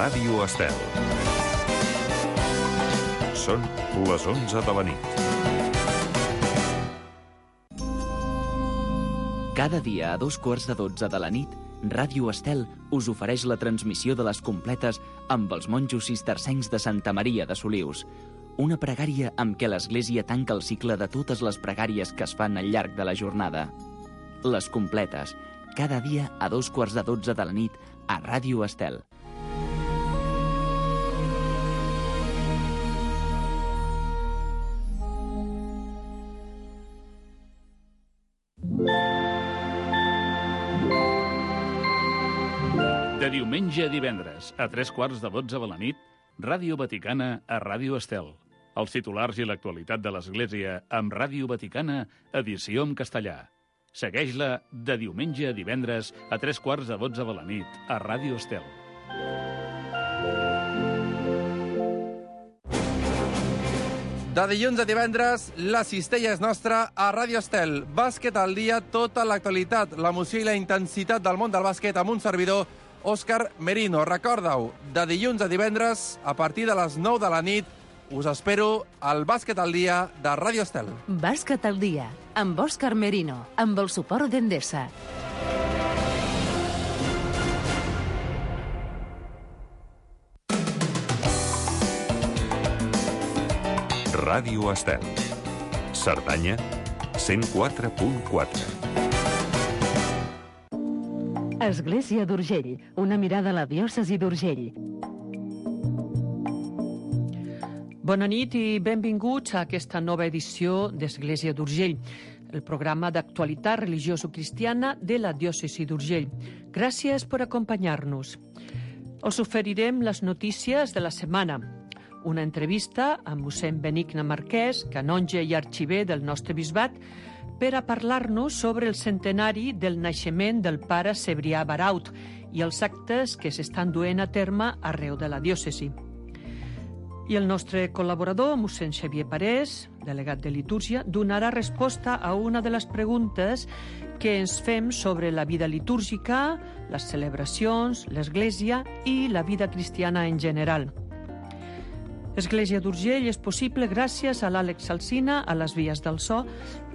Ràdio Estel. Són les 11 de la nit. Cada dia a 2:15 de la nit, Ràdio Estel us ofereix la transmissió de les completes amb els monjos cistercencs de Santa Maria de Solius. Una pregària amb què l'Església tanca el cicle de totes les pregàries que es fan al llarg de la jornada. Les completes, cada dia a 2:15 de la nit a Ràdio Estel. De diumenge a divendres, a 3:15 de la nit, Ràdio Vaticana a Ràdio Estel. Els titulars i l'actualitat de l'Església amb Ràdio Vaticana, edició en castellà. Segueix-la de diumenge a divendres a 3:15 de la nit a Ràdio Estel. De dilluns a divendres, la cistella és nostra a Ràdio Estel. Bàsquet al dia, tota l'actualitat, l'emoció i la intensitat del món del bàsquet amb un servidor, Òscar Merino. Recorda-ho, de dilluns a divendres, a partir de les 9 de la nit, us espero al Bàsquet al dia de Ràdio Estel. Bàsquet al dia, amb Òscar Merino, amb el suport d'Endesa. Ràdio Estel. Cerdanya, 104.4. Església d'Urgell, una mirada a la diòcesi d'Urgell. Bona nit i benvinguts a aquesta nova edició d'Església d'Urgell, el programa d'actualitat religioso-cristiana de la diòcesi d'Urgell. Gràcies per acompanyar-nos. Els oferirem les notícies de la setmana, una entrevista amb mossèn Benigne Marquès, canonge i arxiver del nostre bisbat, per a parlar-nos sobre el centenari del naixement del pare Cebrià Baraut i els actes que s'estan duent a terme arreu de la diòcesi. I el nostre col·laborador, mossèn Xavier Parés, delegat de litúrgia, donarà resposta a una de les preguntes que ens fem sobre la vida litúrgica, les celebracions, l'Església i la vida cristiana en general. Església d'Urgell és possible gràcies a l'Àlex Alsina, a les vies del so,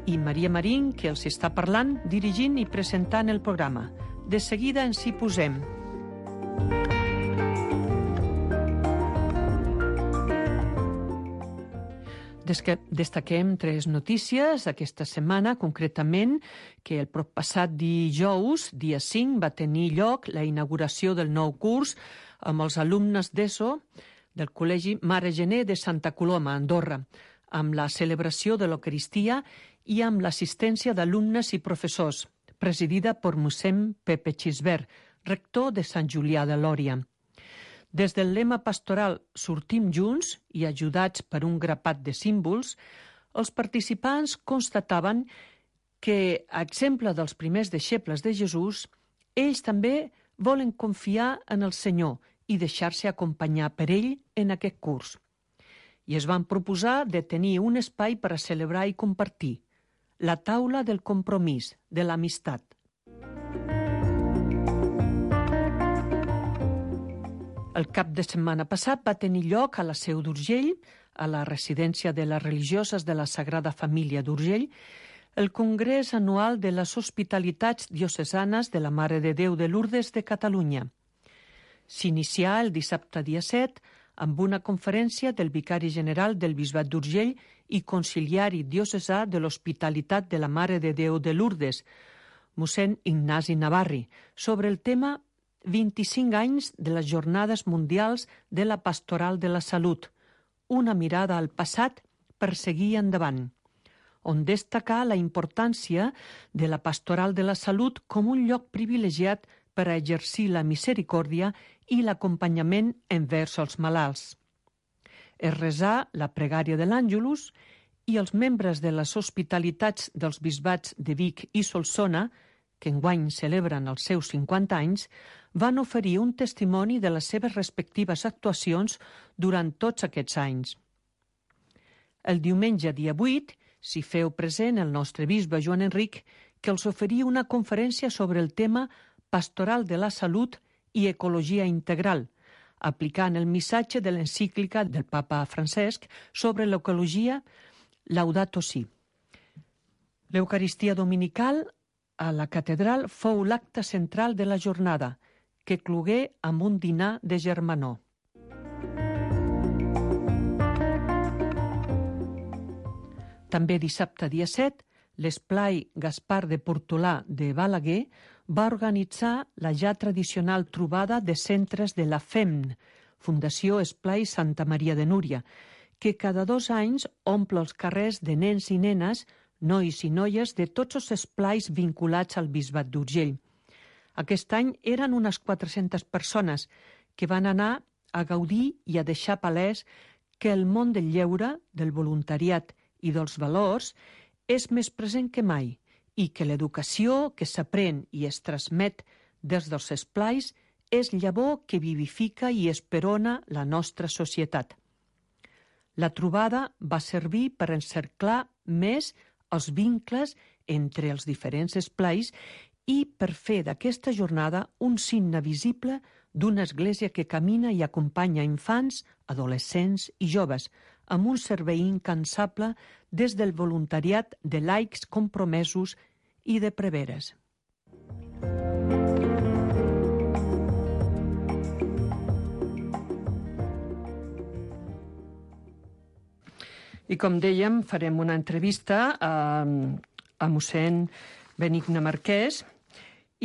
i Maria Marín, que els està parlant, dirigint i presentant el programa. De seguida ens hi posem. Destaquem 3 notícies aquesta setmana, concretament que el proppassat dijous, dia 5, va tenir lloc la inauguració del nou curs amb els alumnes d'ESO del Col·legi Mare Gener de Santa Coloma, Andorra, amb la celebració de l'Eucaristia i amb l'assistència d'alumnes i professors, presidida per mossèn Pepe Xisbert, rector de Sant Julià de Lòria. Des del lema pastoral Sortim junts i ajudats per un grapat de símbols, els participants constataven que, a exemple dels primers deixebles de Jesús, ells també volen confiar en el Senyor i deixar-se acompanyar per ell en aquest curs. I es van proposar de tenir un espai per a celebrar i compartir, la taula del compromís, de l'amistat. El cap de setmana passat va tenir lloc a la Seu d'Urgell, a la residència de les religioses de la Sagrada Família d'Urgell, el Congrés Anual de les Hospitalitats Diocesanes de la Mare de Déu de Lourdes de Catalunya. S'inicià el dissabte dia 7 amb una conferència del vicari general del Bisbat d'Urgell i conciliari diocesà de l'Hospitalitat de la Mare de Déu de Lourdes, mossèn Ignasi Navarri, sobre el tema 25 anys de les Jornades Mundials de la Pastoral de la Salut, una mirada al passat per seguir endavant, on destacà la importància de la Pastoral de la Salut com un lloc privilegiat per a exercir la misericòrdia i l'acompanyament envers els malalts. Es resà la pregària de l'Àngelus i els membres de les hospitalitats dels bisbats de Vic i Solsona, que enguany celebren els seus 50 anys, van oferir un testimoni de les seves respectives actuacions durant tots aquests anys. El diumenge dia 8 s'hi feu present el nostre bisbe Joan Enric, que els oferia una conferència sobre el tema Pastoral de la Salut i Ecologia Integral, aplicant el missatge de l'encíclica del papa Francesc sobre l'ecologia Laudato Si. L'Eucaristia dominical a la catedral fou l'acte central de la jornada, que clogué amb un dinar de germanor. També dissabte dia 7, l'Esplai Gaspar de Portolà de Balaguer va organitzar la ja tradicional trobada de centres de la FEMN, Fundació Esplai Santa Maria de Núria, que cada 2 anys omple els carrers de nens i nenes, nois i noies de tots els esplais vinculats al Bisbat d'Urgell. Aquest any eren unes 400 persones que van anar a gaudir i a deixar palès que el món del lleure, del voluntariat i dels valors és més present que mai i que l'educació que s'aprèn i es transmet des dels esplais és llavor que vivifica i esperona la nostra societat. La trobada va servir per encerclar més els vincles entre els diferents esplais i per fer d'aquesta jornada un signe visible d'una església que camina i acompanya infants, adolescents i joves, amb un servei incansable des del voluntariat de laics compromesos i de preveres. I com dèiem, farem una entrevista a mossèn Benigne Marquès.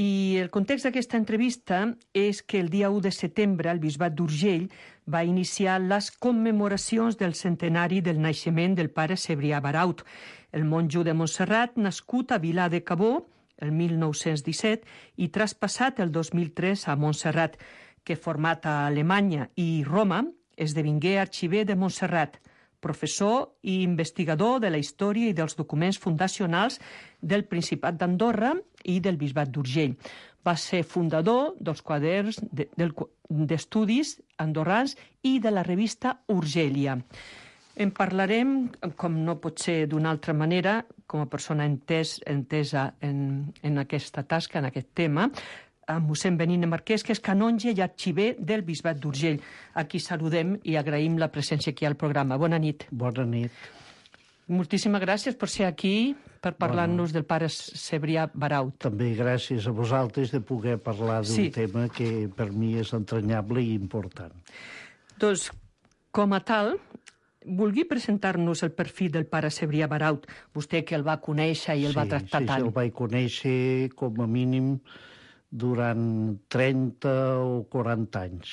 I el context d'aquesta entrevista és que el dia 1 de setembre el Bisbat d'Urgell va iniciar les commemoracions del centenari del naixement del pare Cebrià Baraut, el monjo de Montserrat nascut a Vilar de Cabó el 1917 i traspassat el 2003 a Montserrat, que format a Alemanya i Roma esdevingué arxiver de Montserrat, professor i investigador de la història i dels documents fundacionals del Principat d'Andorra i del Bisbat d'Urgell. Va ser fundador dels quaderns d'estudis andorrans i de la revista Urgèlia. En parlarem, com no pot ser d'una altra manera, com a persona entesa en aquesta tasca, en aquest tema, amb mossèn Benigne Marquès, que és canonge i arxiver del Bisbat d'Urgell. Aquí saludem i agraïm la presència aquí al programa. Bona nit. Bona nit. Moltíssimes gràcies per ser aquí, per parlar-nos del pare Cebrià Baraut. També gràcies a vosaltres de poder parlar d'un tema que per mi és entranyable i important. Doncs, com a tal, vulgui presentar-nos el perfil del pare Cebrià Baraut, vostè que el va conèixer i el va tractar tant. Sí, el vaig conèixer com a mínim durant 30 o 40 anys.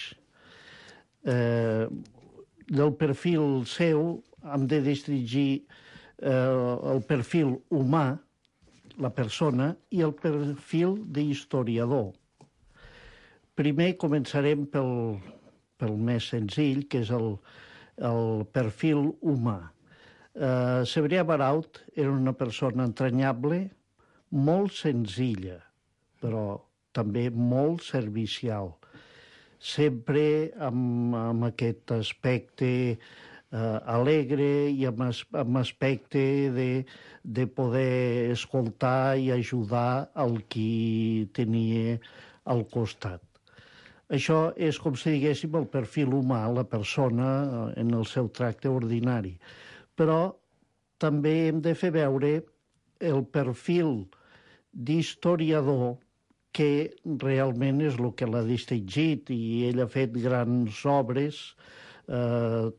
Del perfil seu hem de distingir el perfil humà, la persona, i el perfil d'historiador. Primer començarem pel més senzill, que és el perfil humà. Cebrià Baraut era una persona entranyable, molt senzilla, però també molt servicial, sempre amb aquest aspecte alegre i amb aspecte de poder escoltar i ajudar el qui tenia al costat. Això és, com si diguéssim, el perfil humà, la persona en el seu tracte ordinari. Però també hem de fer veure el perfil d'historiador, que realment és el que l'ha distingit, i ell ha fet grans obres,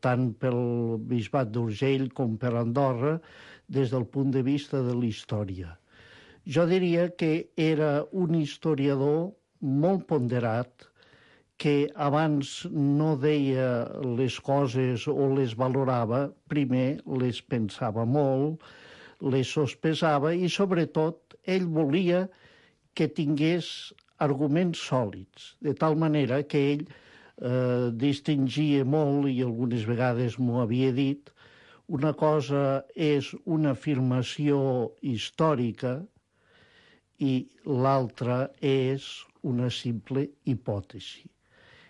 tant pel Bisbat d'Urgell com per Andorra, des del punt de vista de la història. Jo diria que era un historiador molt ponderat, que abans no deia les coses o les valorava, primer les pensava molt, les sospesava i, sobretot, ell volia que tingués arguments sòlids, de tal manera que ell distingia molt, i algunes vegades m'ho havia dit, una cosa és una afirmació històrica i l'altra és una simple hipòtesi.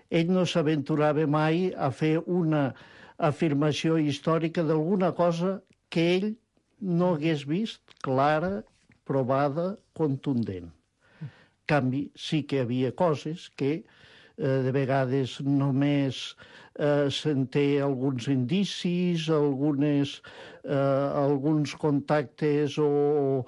Ell no s'aventurava mai a fer una afirmació històrica d'alguna cosa que ell no hagués vist clara, provada, contundent. En canvi, sí que hi havia coses que De vegades només se'n té alguns indicis, alguns contactes o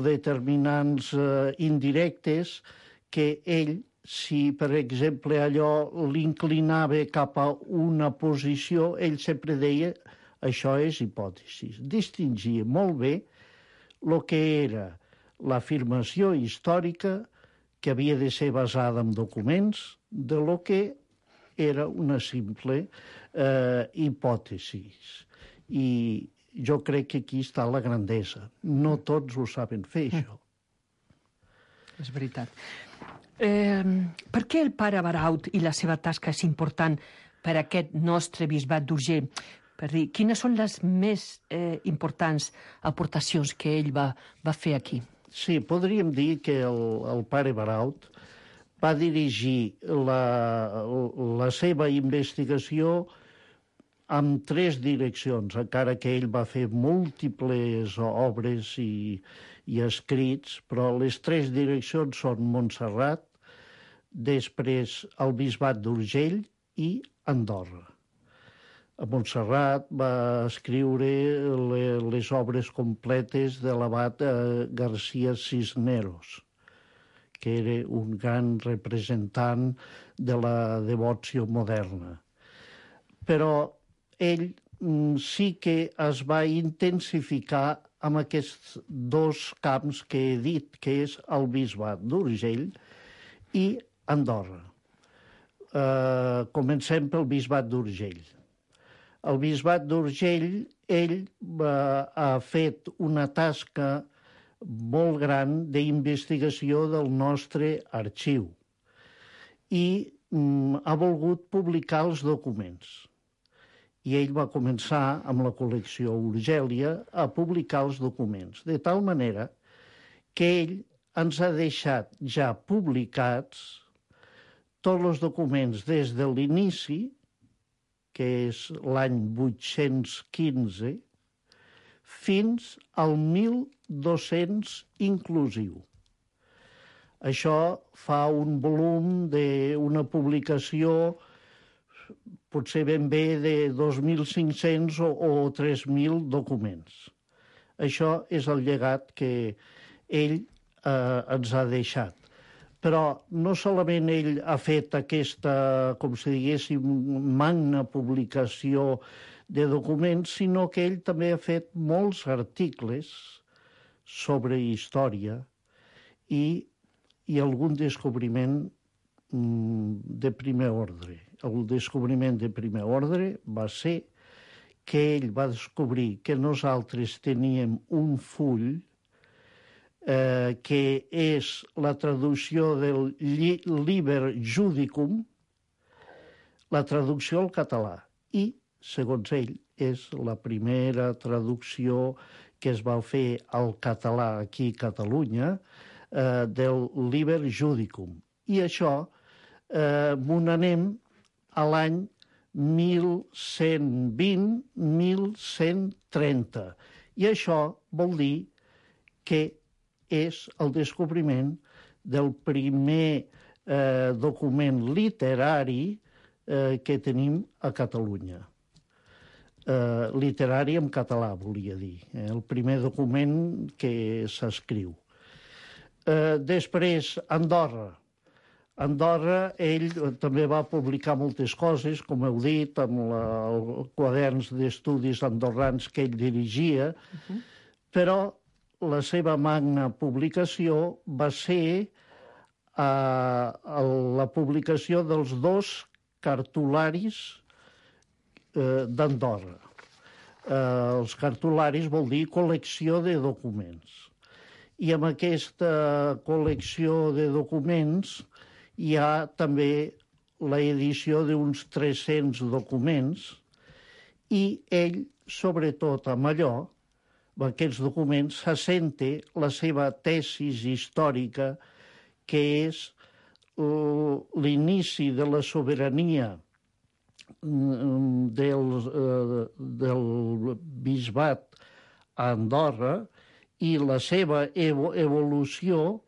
determinants indirectes que ell, si per exemple allò l'inclinava cap a una posició, ell sempre deia això és hipòtesi. Distingia molt bé el que era l'afirmació històrica, que havia de ser basada en documents, de lo que era una simple hipòtesi. I jo crec que aquí està la grandesa. No tots ho saben fer, això. És veritat. Per què el pare Baraut i la seva tasca és important per a aquest nostre bisbat d'Urgell? Per dir, quines són les més importants aportacions que ell va fer aquí? Sí, podríem dir que el pare Baraut va dirigir la seva investigació en 3 direccions, encara que ell va fer múltiples obres i escrits, però les 3 direccions són Montserrat, després el bisbat d'Urgell i Andorra. A Montserrat va escriure les obres completes de l'abat García Cisneros, que era un gran representant de la devoció moderna. Però ell sí que es va intensificar amb aquests 2 camps que he dit, que és el bisbat d'Urgell i Andorra. Comencem pel bisbat d'Urgell. El bisbat d'Urgell, ell ha fet una tasca molt gran d'investigació del nostre arxiu i ha volgut publicar els documents. I ell va començar amb la col·lecció Urgèlia a publicar els documents, de tal manera que ell ens ha deixat ja publicats tots els documents des de l'inici, que és l'any 815, fins al 1200 inclusiu. Això fa un volum d'una publicació potser ben bé de 2.500 o 3.000 documents. Això és el llegat que ell ens ha deixat. Però no solament ell ha fet aquesta, com si diguéssim, magna publicació de documents, sinó que ell també ha fet molts articles sobre història i algun descobriment de primer ordre. El descobriment de primer ordre va ser que ell va descobrir que nosaltres teníem un full que és la traducció del Liber Judicum, la traducció al català. I, segons ell, és la primera traducció que es va fer al català aquí a Catalunya del Liber Judicum. I això m'ho n'anem a l'any 1120-1130. I això vol dir que és el descobriment del primer document literari que tenim a Catalunya. Literari en català, volia dir. El primer document que s'escriu. Després, Andorra. Andorra, ell també va publicar moltes coses, com heu dit, amb els quaderns d'estudis andorrans que ell dirigia, però la seva magna publicació va ser la publicació dels 2 cartularis d'Andorra. Els cartularis vol dir col·lecció de documents. I amb aquesta col·lecció de documents hi ha també l'edició d'uns 300 documents i ell, sobretot amb allò, amb aquests documents, s'assenta la seva tesis històrica, que és l'inici de la sobirania del bisbat a Andorra i la seva evolució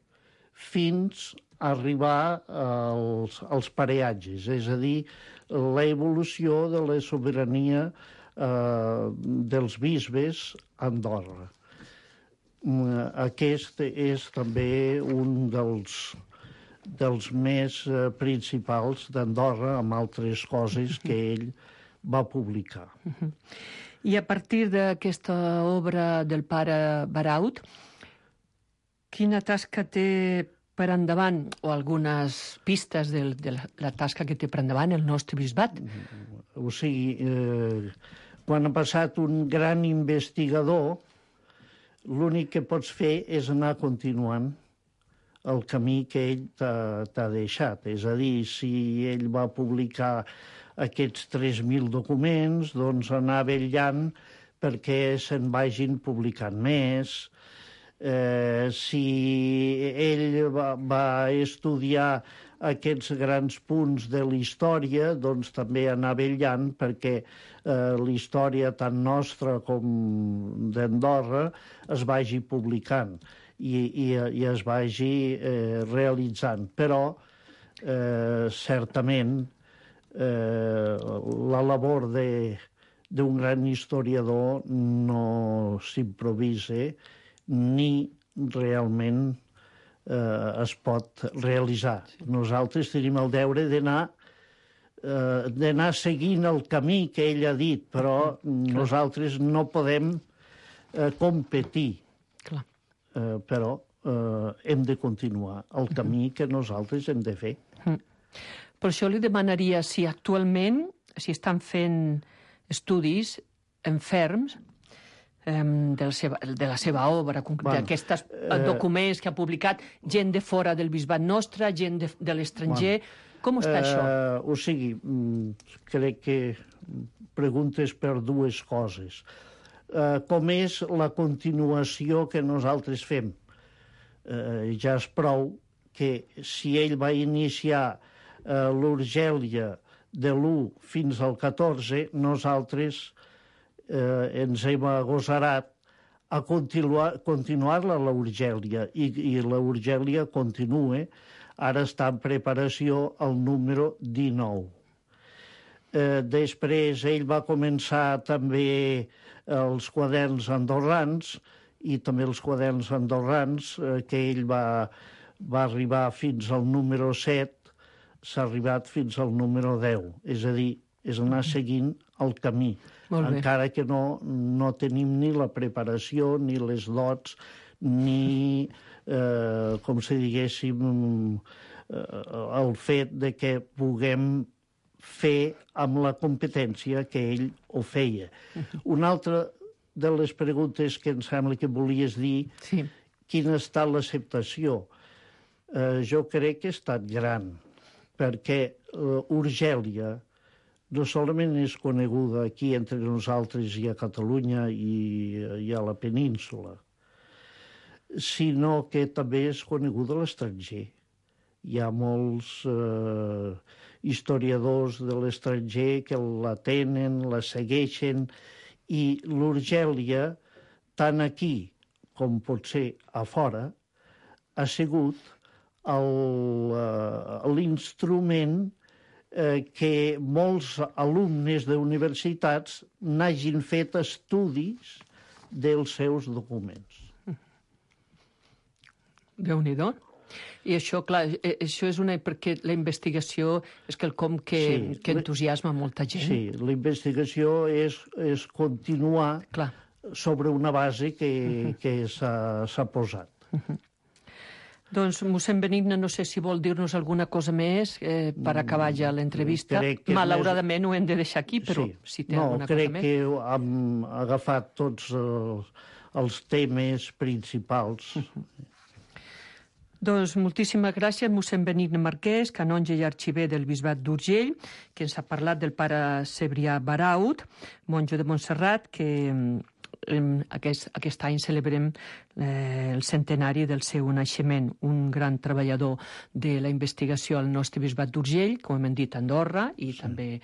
fins arribar als pareatges, és a dir, l'evolució de la sobirania dels bisbes a Andorra. Aquest és també un dels més principals d'Andorra, amb altres coses que ell va publicar. I a partir d'aquesta obra del pare Baraut, quina tasca té per endavant, o algunes pistes de la tasca que té per endavant el nostre bisbat? O sigui, quan ha passat un gran investigador, l'únic que pots fer és anar continuant el camí que ell t'ha deixat. És a dir, si ell va publicar aquests 3.000 documents, doncs anar vetllant perquè se'n vagin publicant més. Si ell va estudiar aquests grans punts de la història, doncs també anar vetllant perquè la història tant nostra com d'Andorra es vagi publicant i es vagi realitzant. Però, certament, la labor d'un gran historiador no s'improvisa ni realment es pot realitzar. Nosaltres tenim el deure d'anar seguint el camí que ell ha dit, però nosaltres no podem competir. Però hem de continuar el camí que nosaltres hem de fer. Per això li demanaria si actualment estan fent estudis enferms de la seva obra, d'aquests documents que ha publicat, gent de fora del bisbat nostre, gent de l'estranger. Com està això? O sigui, crec que preguntes per dues coses. Com és la continuació que nosaltres fem? Ja és prou que si ell va iniciar l'Urgèlia de l'1 fins al 14, nosaltres ens hem agosarat a continuar-la a l'Urgèlia, i l'Urgèlia continua. Ara està en preparació el número 19. Després ell va començar també els quaderns andorrans, i també els quaderns andorrans, que ell va arribar fins al número 7, s'ha arribat fins al número 10. És a dir, és anar seguint el camí. Encara que no tenim ni la preparació, ni les dots, ni, com si diguéssim, el fet de que puguem fer amb la competència que ell ho feia. Una altra de les preguntes que em sembla que volies dir, quina ha estat l'acceptació? Jo crec que ha estat gran, perquè Urgèlia no solament és coneguda aquí entre nosaltres i a Catalunya i a la península, sinó que també és coneguda a l'estranger. Hi ha molts historiadors de l'estranger que la tenen, la segueixen, i l'Urgèlia, tant aquí com potser a fora, ha sigut l'instrument que molts alumnes d'universitats n'hagin fet estudis dels seus documents. Déu-n'hi-do. I això, clar, això és perquè la investigació és quelcom que entusiasma molta gent. Sí, la investigació és continuar sobre una base que s'ha posat. Doncs, mossèn Benigna, no sé si vol dir-nos alguna cosa més per acabar ja l'entrevista. Malauradament ho hem de deixar aquí, però si té alguna cosa més. No, crec que hem agafat tots els temes principals. Doncs moltíssimes gràcies, mossèn Benigna Marquès, canonge i arxiver del Bisbat d'Urgell, que ens ha parlat del pare Cebrià Baraut, monjo de Montserrat, que aquest any celebrem el centenari del seu naixement, un gran treballador de la investigació al nostre Bisbat d'Urgell, com hem dit, a Andorra i també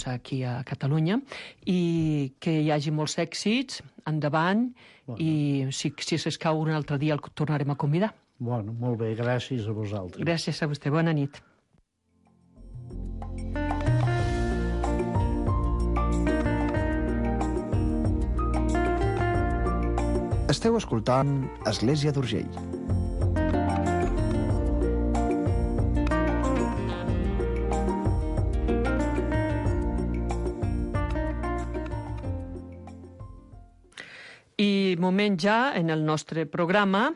aquí a Catalunya, i que hi hagi molts èxits endavant, i si s'escau un altre dia el tornarem a convidar. Bueno, molt bé, gràcies a vosaltres. Gràcies a vostè, bona nit. Esteu escoltant Església d'Urgell. I moment ja en el nostre programa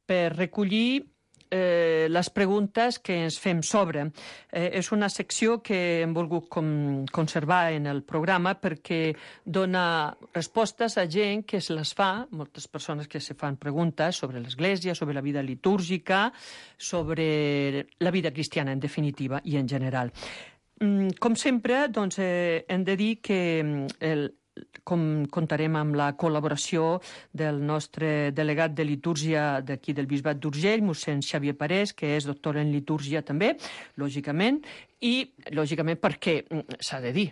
per recollir les preguntes que ens fem sobre. És una secció que hem volgut conservar en el programa perquè dona respostes a gent que se les fa, moltes persones que se fan preguntes sobre l'Església, sobre la vida litúrgica, sobre la vida cristiana, en definitiva, i en general. Com sempre, doncs, hem de dir que comptarem amb la col·laboració del nostre delegat de litúrgia d'aquí del Bisbat d'Urgell, mossèn Xavier Parés, que és doctor en litúrgia també, lògicament, i lògicament perquè s'ha de dir,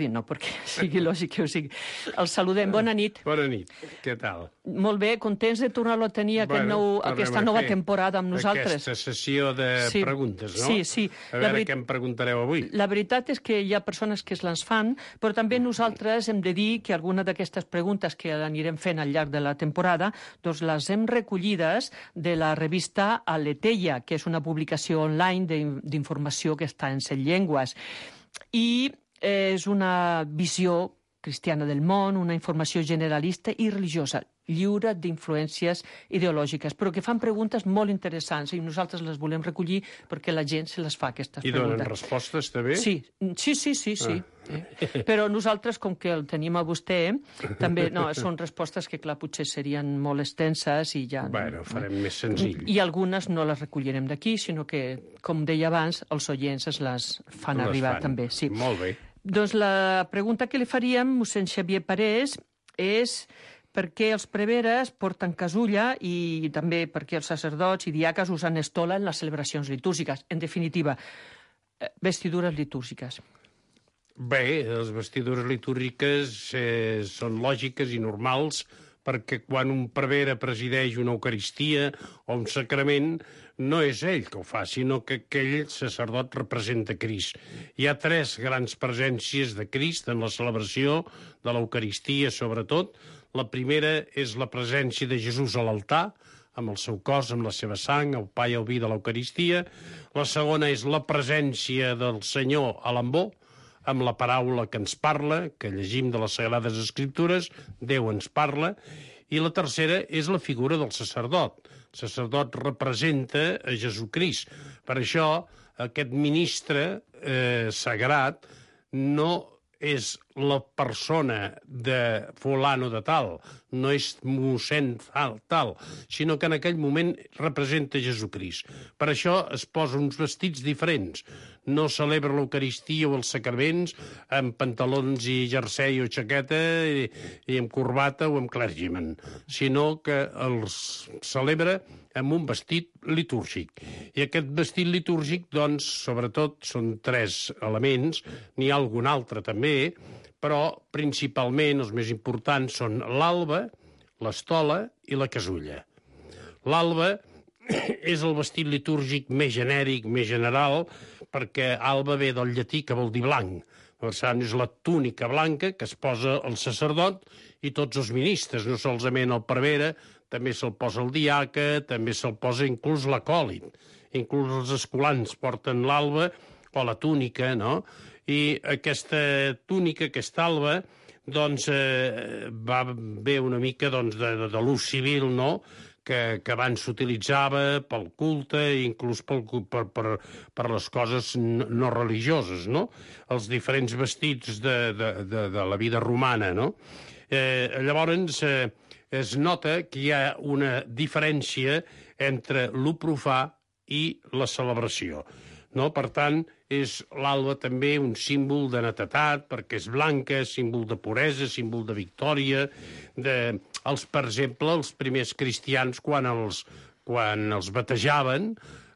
no perquè sigui lògic que ho sigui. El saludem, bona nit. Bona nit, què tal? Molt bé, contents de tornar-lo a tenir aquesta nova temporada amb nosaltres. Aquesta sessió de preguntes, no? Sí. A veure què em preguntareu avui. La veritat és que hi ha persones que es les fan, però també nosaltres hem de dir que alguna d'aquestes preguntes que anirem fent al llarg de la temporada, doncs les hem recollides de la revista Aleteia, que és una publicació online d'informació que està en 7 llengües. I és una visió cristiana del món, una informació generalista i religiosa, lliure d'influències ideològiques, però que fan preguntes molt interessants i nosaltres les volem recollir perquè la gent se les fa, aquestes preguntes. I donen respostes, també? Sí. Però nosaltres, com que el tenim a vostè, també són respostes que, clar, potser serien molt extenses i ja... Bueno, farem més senzill. I algunes no les recollirem d'aquí, sinó que, com deia abans, els oients es les fan arribar també. Sí. Molt bé. Doncs la pregunta que li faríem, mossèn Xavier Parés, és per què els preveres porten casulla i també per què els sacerdots i diaques usen estola en les celebracions litúrgiques. En definitiva, vestidures litúrgiques. Bé, les vestidures litúrgiques són lògiques i normals perquè quan un prevere presideix una eucaristia o un sacrament no és ell que ho fa, sinó que aquell sacerdot representa Crist. Hi ha 3 grans presències de Crist en la celebració de l'Eucaristia, sobretot. La primera és la presència de Jesús a l'altar, amb el seu cos, amb la seva sang, el pa i el vi de l'Eucaristia. La segona és la presència del Senyor a l'ambó, amb la paraula que ens parla, que llegim de les Sagrades Escriptures, Déu ens parla. I la tercera és la figura del sacerdot. El sacerdot representa a Jesucrist. Per això, aquest ministre sagrat no és la persona de fulano de tal, no és mossèn tal, sinó que en aquell moment representa Jesucrist. Per això es posa uns vestits diferents. No celebra l'Eucaristia o els sacraments amb pantalons i jersei o jaqueta i amb corbata o amb clergyman, sinó que els celebra amb un vestit litúrgic. I aquest vestit litúrgic, doncs, sobretot, són 3 elements, n'hi ha algun altre també, però principalment els més importants són l'alba, l'estola i la casulla. L'alba és el vestit litúrgic més genèric, més general, perquè alba ve del llatí que vol dir blanc. Per tant, és la túnica blanca que es posa el sacerdot i tots els ministres, no solament el prevere, també se'l posa el diaca, també se'l posa inclús l'acòlit. Inclús els escolans porten l'alba o la túnica, no? I aquesta túnica, aquesta alba, doncs va bé una mica de l'ús civil, no?, que abans s'utilitzava pel culte i inclús per les coses no religioses, no? Els diferents vestits de la vida romana, no? Llavors, es nota que hi ha una diferència entre lo profà i la celebració, no? Per tant, és l'alba també un símbol de netedat, perquè és blanca, símbol de puresa, símbol de victòria. Per exemple, els primers cristians, quan els batejaven,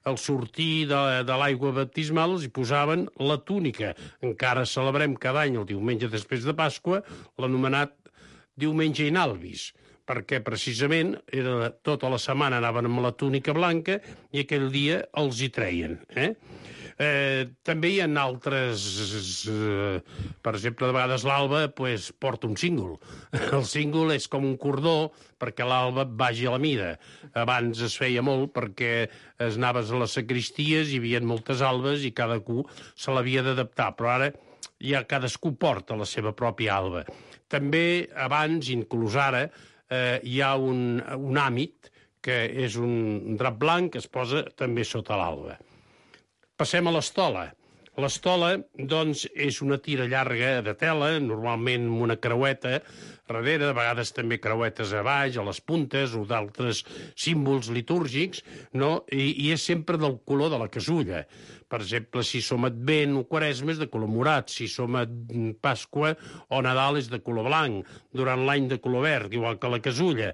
al sortir de l'aigua baptismal els hi posaven la túnica. Encara celebrem cada any, el diumenge després de Pasqua, l'anomenat diumenge in albis. perquè precisament tota la setmana anaven amb la túnica blanca i aquell dia els hi treien. També hi ha altres... per exemple, de vegades l'alba porta un cíngol. El cíngol és com un cordó perquè l'alba vagi a la mida. Abans es feia molt perquè anaves a les sagristies, hi havia moltes albes i cadascú se l'havia d'adaptar, però ara ja cadascú porta la seva pròpia alba. També abans, inclús ara, hi ha un àmit, que és un drap blanc que es posa també sota l'alba. Passem a l'estola. L'estola, doncs, és una tira llarga de tela, normalment amb una creueta darrere, de vegades també creuetes a baix, a les puntes, o d'altres símbols litúrgics, no? I és sempre del color de la casulla. Per exemple, si som Advent o Quaresma és de color morat, si som a Pasqua o Nadal és de color blanc, durant l'any de color verd, igual que la casulla.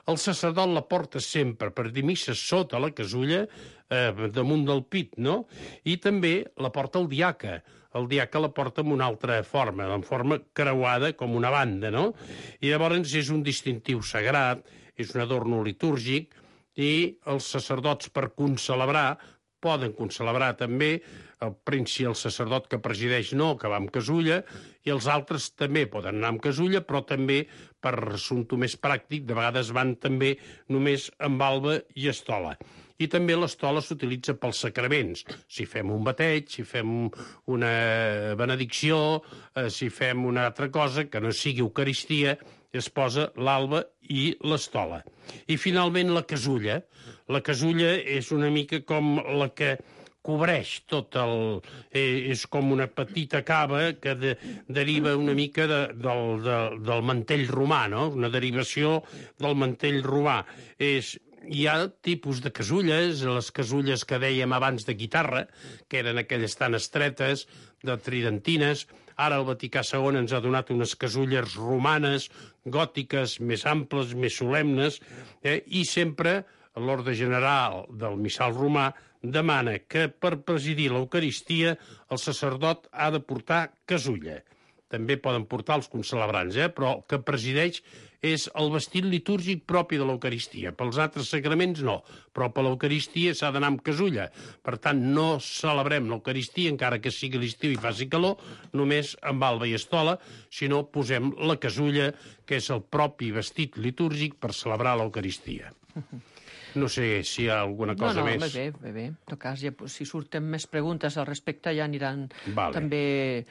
El sacerdot la porta sempre per dir missa sota la casulla, damunt del pit, no? I també la porta el diaca. El diaca la porta amb una altra forma, en forma creuada, com una banda, no? I llavors és un distintiu sagrat, és un adorno litúrgic, i els sacerdots per concelebrar poden concelebrar també, el sacerdot que presideix no, que va amb casulla, i els altres també poden anar amb casulla, però també, per assumpte més pràctic, de vegades van també només amb alba i estola. I també l'estola s'utilitza pels sacraments. Si fem un bateig, si fem una benedicció, si fem una altra cosa que no sigui Eucaristia, es posa l'alba i l'estola. I finalment la casulla. La casulla és una mica com la que cobreix tot el... És com una petita cava que deriva una mica del mantell romà, no? Una derivació del mantell romà. Hi ha tipus de casulles, les casulles que dèiem abans de guitarra, que eren aquelles tan estretes, de tridentines. Ara el Vaticà II ens ha donat unes casulles romanes, gòtiques, més amples, més solemnes, i sempre l'orde general del missal romà demana que per presidir l'Eucaristia el sacerdot ha de portar casulla. També poden portar els concelebrants, però el que presideix és el vestit litúrgic propi de l'Eucaristia. Pels altres sacraments no, però per l'Eucaristia s'ha d'anar amb casulla. Per tant, no celebrem l'Eucaristia, encara que sigui l'estiu i faci calor, només amb alba i estola, sinó posem la casulla, que és el propi vestit litúrgic per celebrar l'Eucaristia. No sé si hi ha alguna cosa més. No, bé. En tot cas, si surten més preguntes al respecte ja aniran també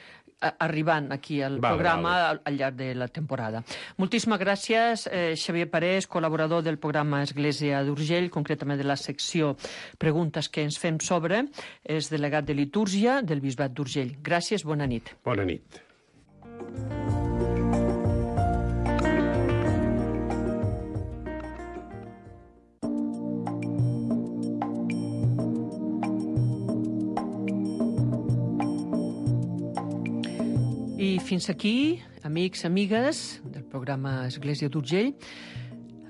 arribant aquí al programa al llarg de la temporada. Moltíssimes gràcies, Xavier Parés, col·laborador del programa Església d'Urgell, concretament de la secció Preguntes que ens fem sobre, és delegat de litúrgia del Bisbat d'Urgell. Gràcies, bona nit. Bona nit. I fins aquí, amics, amigues del programa Església d'Urgell,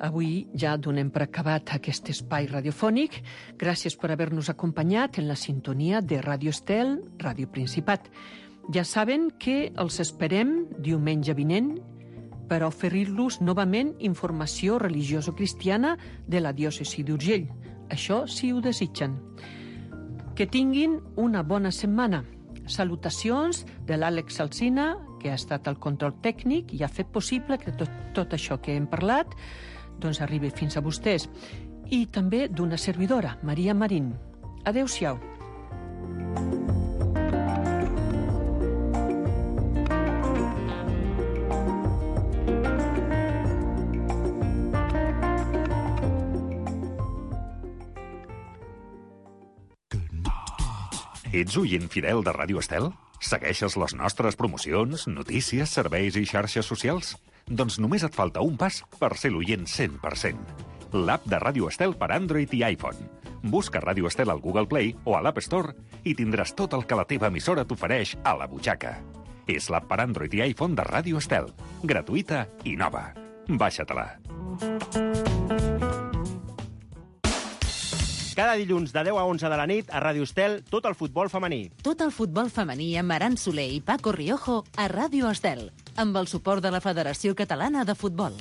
avui ja donem per acabat aquest espai radiofònic. Gràcies per haver-nos acompanyat en la sintonia de Ràdio Estel, Ràdio Principat. Ja saben que els esperem diumenge vinent per oferir-los novament informació religioso-cristiana de la diòcesi d'Urgell. Això si ho desitgen. Que tinguin una bona setmana. Salutacions de l'Àlex Alsina, que ha estat al control tècnic i ha fet possible que tot això que hem parlat doncs arribi fins a vostès. I també d'una servidora, Maria Marín. Adéu-siau. Ets oient fidel de Ràdio Estel? Segueixes les nostres promocions, notícies, serveis i xarxes socials? Doncs només et falta un pas per ser l'oient 100%. L'app de Ràdio Estel per Android i iPhone. Busca Ràdio Estel al Google Play o a l'App Store i tindràs tot el que la teva emissora t'ofereix a la butxaca. És l'app per Android i iPhone de Ràdio Estel. Gratuïta i nova. Baixa-te-la. Cada dilluns de 10 a 11 de la nit a Ràdio Estel, tot el futbol femení. Tot el futbol femení amb Aran Soler i Paco Riojo a Ràdio Estel, amb el suport de la Federació Catalana de Futbol.